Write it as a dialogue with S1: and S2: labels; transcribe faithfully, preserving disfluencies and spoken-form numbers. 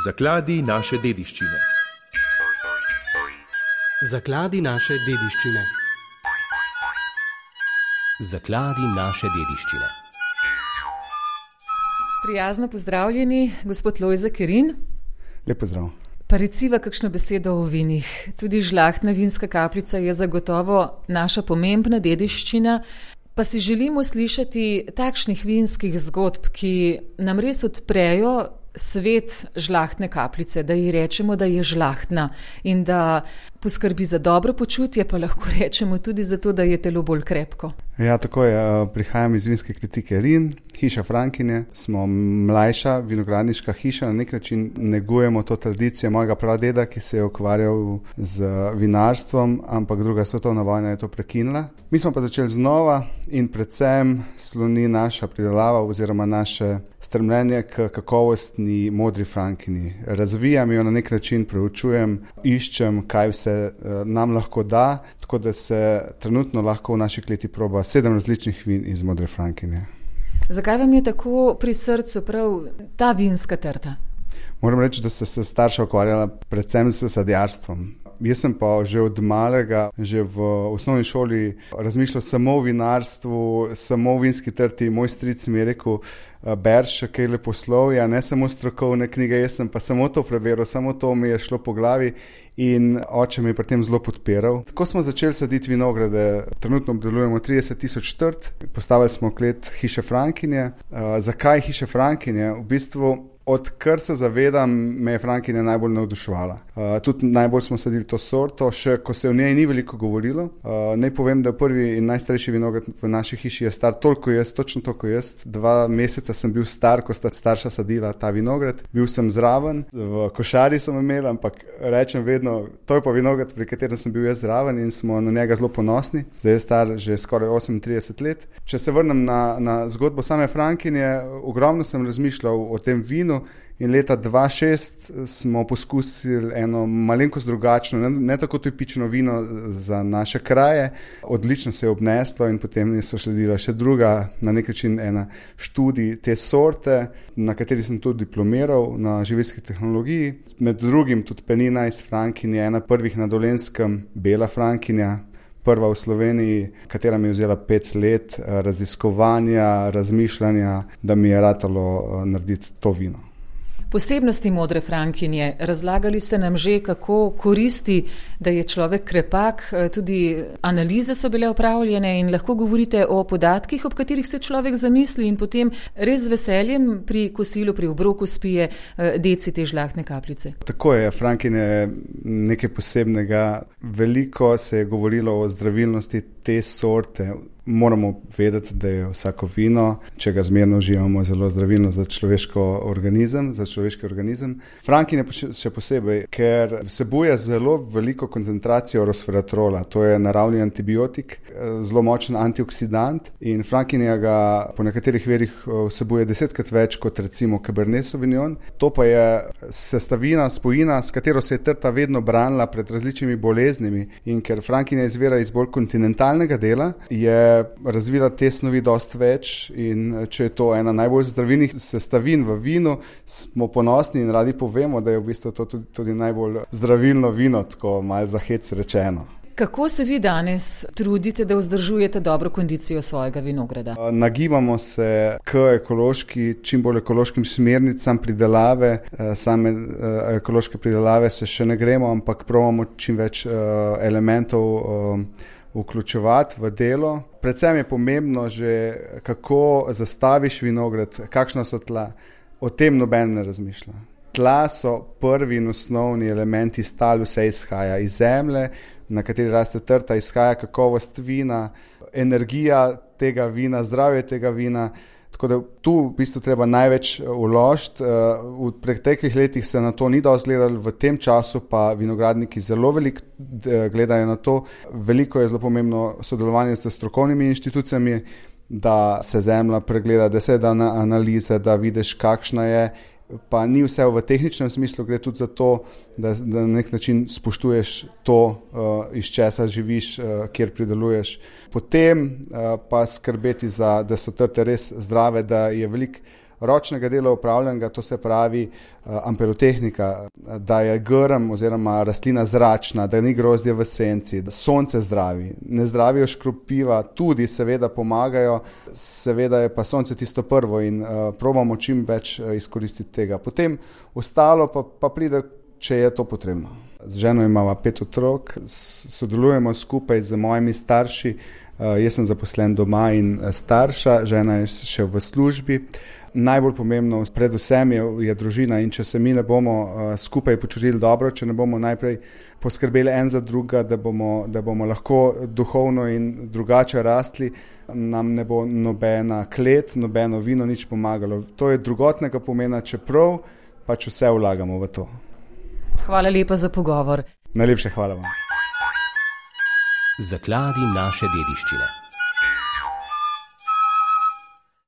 S1: Zakladi naše dediščine.
S2: Zakladi naše dediščine.
S3: Zakladi naše dediščine.
S4: Prijazno pozdravljeni, gospod Lojze Kerin.
S5: Lep pozdrav.
S4: Pa reciva kakšno besedo o vinih. Tudi žlahtna vinska kapljica je zagotovo naša pomembna dediščina, pa si želimo slišati takšnih vinskih zgodb, ki nam res odprejo svet žlahtne kapljice, da ji rečemo, da je žlahtna in da poskrbi za dobro počutje, pa lahko rečemo tudi zato, da je telo bolj krepko.
S5: Ja, tako je. Prihajam iz vinske kritike Rin, hiša Frankinje. Smo mlajša vinogradniška hiša, na nek način negujemo to tradicijo mojega pradeda, ki se je ukvarjal z vinarstvom, ampak druga svetovna vojna je to prekinila. Mi smo pa začeli znova in predvsem sloni naša pridelava oziroma naše stremljenje k kakovostni modri Frankinji. Razvijam jo na nek način, preučujem, iščem, kaj vse nam lahko da, tako da se trenutno lahko v naši kleti proba sedem različnih vin iz modre Frankinje.
S4: Zakaj vam je tako pri srcu prav ta vinska trta?
S5: Moram reči, da se starša ukvarjala predvsem s sadjarstvom. Jaz sem pa že od malega, že v osnovni šoli razmišljal samo o vinarstvu, samo o vinski trti. Moj stric mi je rekel, berš kaj leposlovja, ne samo strokovne knjige, jaz sem pa samo to preberal, samo to mi je šlo po glavi in oče me je pri tem zelo podpiral. Tako smo začeli saditi vinograde, trenutno obdelujemo trideset tisoč trt, postavili smo klet hiše Frankinje. Uh, zakaj hiše Frankinje? V bistvu odkar se zavedam, me je Frankinja najbolj navduševala. Uh, tudi najbolj smo sadili to sorto, še ko se o njej ni veliko govorilo. Uh, naj povem, da prvi in najstarejši vinograd v naši hiši je star toliko jaz, točno toliko jaz. Dva meseca sem bil star, ko sta starša sadila ta vinograd. Bil sem zraven, v košari sem imel, ampak rečem vedno, to je pa vinograd, pri katerem sem bil jaz zraven in smo na njega zelo ponosni. Zdaj je star že skoraj osemintrideset let. Če se vrnem na, na zgodbo same Frankinje, ogromno sem razmišljal o tem vinu. In leta dva tisoč šest smo poskusili eno malenkost drugačno, ne, ne tako tipično vino za naše kraje. Odlično se je obneslo in potem so sledila še druga, na nek način ena študij te sorte, na kateri sem tudi diplomiral na živilski tehnologiji. Med drugim tudi penina iz Frankinje, ena prvih na Dolenjskem, bela Frankinja, prva v Sloveniji, katera mi je vzela pet let raziskovanja, razmišljanja, da mi je ratalo narediti to vino.
S4: Posebnosti modre Frankinje. Razlagali ste nam že, kako koristi, da je človek krepak, tudi analize so bile opravljene in lahko govorite o podatkih, ob katerih se človek zamisli in potem res z veseljem pri kosilu, pri obroku spije deci te žlahtne kapljice.
S5: Tako je, Frankinje je nekaj posebnega. Veliko se je govorilo o zdravilnosti te sorte. Moramo vedeti, da je vsako vino, če ga zmerno uživamo, zelo zdravilno za človeško organizem, za človeški organizem. Frankinje še posebej, ker vsebuje zelo veliko koncentracijo resveratrola, to je naravni antibiotik, zelo močen antioksidant in Frankinja ga po nekaterih verjih vsebuje desetkrat več kot recimo Cabernet Sauvignon. To pa je sestavina, spojina, s katero se je trta vedno branila pred različnimi boleznimi in ker Frankinja izvira iz bolj kontinentalnega dela, je razvila te snovi dosti več in če je to ena najbolj zdravilnih sestavin v vinu, smo ponosni in radi povemo, da je v bistvu to tudi, tudi najbolj zdravilno vino, tako malo za hec rečeno.
S4: Kako se vi danes trudite, da vzdržujete dobro kondicijo svojega vinograda?
S5: Nagibamo se k ekološki, čim bolj ekološkim smernicam pridelave. Same ekološke pridelave se še ne gremo, ampak probamo čim več elementov vključevati v delo. Predvsem je pomembno že, kako zastaviš vinograd, kakšna so tla. O tem noben ne razmišlja. Tla so prvi in osnovni elementi, iz tal vse izhaja. Iz zemlje, na kateri raste trta, izhaja kakovost vina, energija tega vina, zdravje tega vina. Tako da tu v bistvu treba največ vložiti. V preteklih letih se na to ni dosti gledali, v tem času pa vinogradniki zelo veliko gledajo na to. Veliko je zelo pomembno sodelovanje s strokovnimi inštitucijami, da se zemlja pregleda, da se da na analize, da vidiš, kakšna je. Pa ni vse v tehničnem smislu, gre tudi za to, da, da na nek način spoštuješ to, uh, iz česa živiš, uh, kjer prideluješ. Potem uh, pa skrbeti za, da so trte res zdrave, da je veliko ročnega dela upravljenega, to se pravi amperotehnika, da je grm oziroma rastlina zračna, da ni grozdje v senci, da sonce zdravi, ne zdravijo škropiva, tudi seveda pomagajo, seveda je pa sonce tisto prvo in uh, probamo čim več uh, izkoristiti tega. Potem ostalo pa, pa pride, če je to potrebno. Z ženo imamo pet otrok, sodelujemo skupaj z mojimi starši, uh, jaz sem zaposlen doma in starša, žena je še v službi. Najbolj pomembno predvsem je, je družina in če se mi ne bomo uh, skupaj počutili dobro, če ne bomo najprej poskrbeli en za druga, da bomo, da bomo lahko duhovno in drugače rastli, nam ne bo nobena klet, nobeno vino nič pomagalo. To je drugotnega pomena, čeprav pač vse vlagamo v to.
S4: Hvala lepa za pogovor.
S5: Najlepše hvala vam.
S3: Zakladi naše dediščine.